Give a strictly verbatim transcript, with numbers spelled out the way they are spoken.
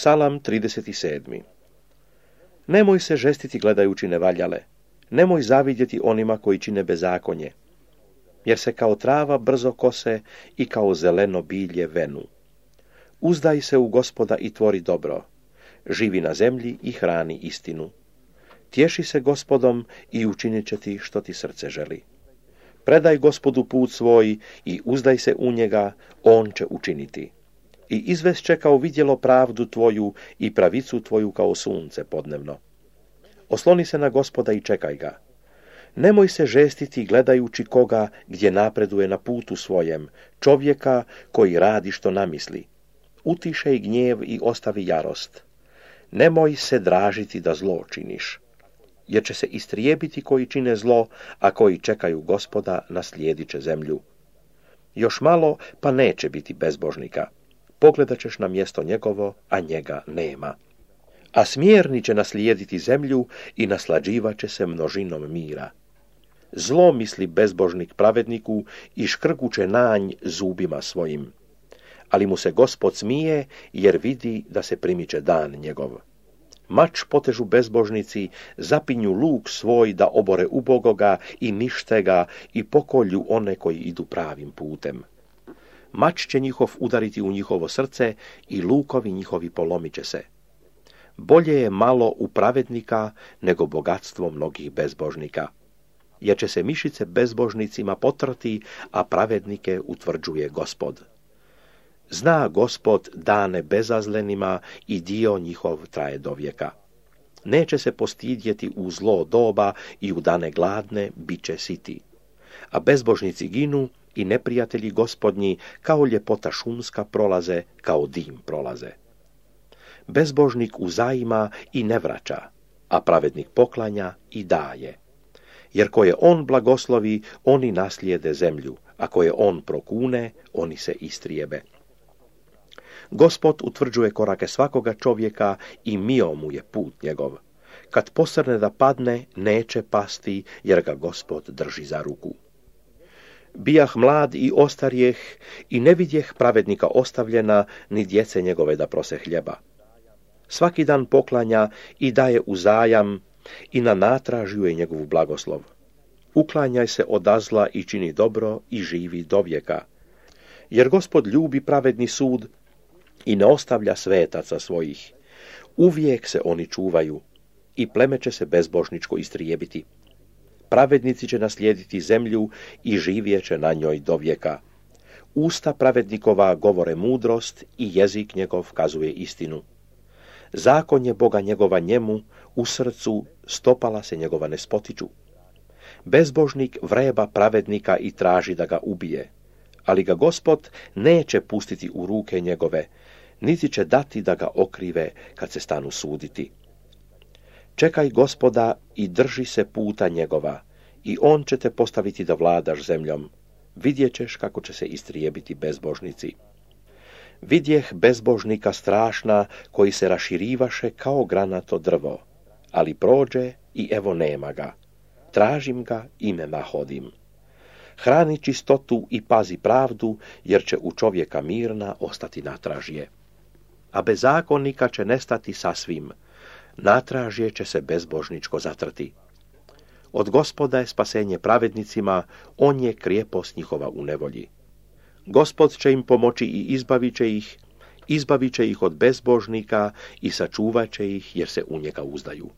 Psalam trideset sedam. Nemoj se žestiti gledajući nevaljale, nemoj zavidjeti onima koji čine bezakonje, jer se kao trava brzo kose i kao zeleno bilje venu. Uzdaj se u Gospoda i tvori dobro, živi na zemlji i hrani istinu. Tješi se Gospodom i učinit će ti što ti srce želi. Predaj Gospodu put svoj i uzdaj se u njega, on će učiniti. I izvešće kao vidjelo pravdu tvoju i pravicu tvoju kao sunce podnevno. Osloni se na Gospoda i čekaj ga. Nemoj se žestiti gledajući koga gdje napreduje na putu svojem, čovjeka koji radi što namisli. Utišej gnjev i ostavi jarost. Nemoj se dražiti da zlo činiš, jer će se istrijebiti koji čine zlo, a koji čekaju Gospoda naslijedit će zemlju. Još malo, pa neće biti bezbožnika. Pogledat ćeš na mjesto njegovo, a njega nema. A smjerni će naslijediti zemlju i naslađivat će se množinom mira. Zlo misli bezbožnik pravedniku i škrguće nanj zubima svojim. Ali mu se Gospod smije, jer vidi da se primiče dan njegov. Mač potežu bezbožnici, zapinju luk svoj da obore ubogoga i nište ga i pokolju one koji idu pravim putem. Mač će njihov udariti u njihovo srce i lukovi njihovi polomit će se. Bolje je malo u pravednika nego bogatstvo mnogih bezbožnika, jer će se mišice bezbožnicima potrti, a pravednike utvrđuje Gospod. Zna Gospod dane bezazlenima i dio njihov traje do vijeka. Neće se postidjeti u zlo doba i u dane gladne bit će siti. A bezbožnici ginu i neprijatelji Gospodnji kao ljepota šumska prolaze, kao dim prolaze. Bezbožnik uzajima i ne vraća, a pravednik poklanja i daje. Jer koje on blagoslovi, oni naslijede zemlju, a koje on prokune, oni se istrijebe. Gospod utvrđuje korake svakoga čovjeka i mio mu je put njegov. Kad posrne da padne, neće pasti, jer ga Gospod drži za ruku. Bijah mlad i ostarjeh i ne vidjeh pravednika ostavljena, ni djece njegove da prose hljeba. Svaki dan poklanja i daje uzajam i na natražju je njegovu blagoslov. Uklanjaj se od zla i čini dobro i živi do vijeka. Jer Gospod ljubi pravedni sud i ne ostavlja svetaca svojih. Uvijek se oni čuvaju i pleme će se bezbožničko istrijebiti. Pravednici će naslijediti zemlju i živjet će na njoj do vijeka. Usta pravednikova govore mudrost i jezik njegov kazuje istinu. Zakon je Boga njegova njemu, u srcu stopala se njegova ne spotiču. Bezbožnik vreba pravednika i traži da ga ubije, ali ga Gospod neće pustiti u ruke njegove, niti će dati da ga okrive kad se stanu suditi. Čekaj Gospoda i drži se puta njegova, i on će te postaviti da vladaš zemljom. Vidjet ćeš kako će se istrijebiti bezbožnici. Vidjeh bezbožnika strašna, koji se raširivaše kao granato drvo, ali prođe i evo nema ga. Tražim ga i me nahodim. Hrani čistotu i pazi pravdu, jer će u čovjeka mirna ostati natražje. A bezakonnika će nestati sasvim, natražje će se bezbožničko zatrti. Od Gospoda je spasenje pravednicima, on je krijepost njihova u nevolji. Gospod će im pomoći i izbavit će ih, izbavit će ih od bezbožnika i sačuvat će ih jer se u njega uzdaju.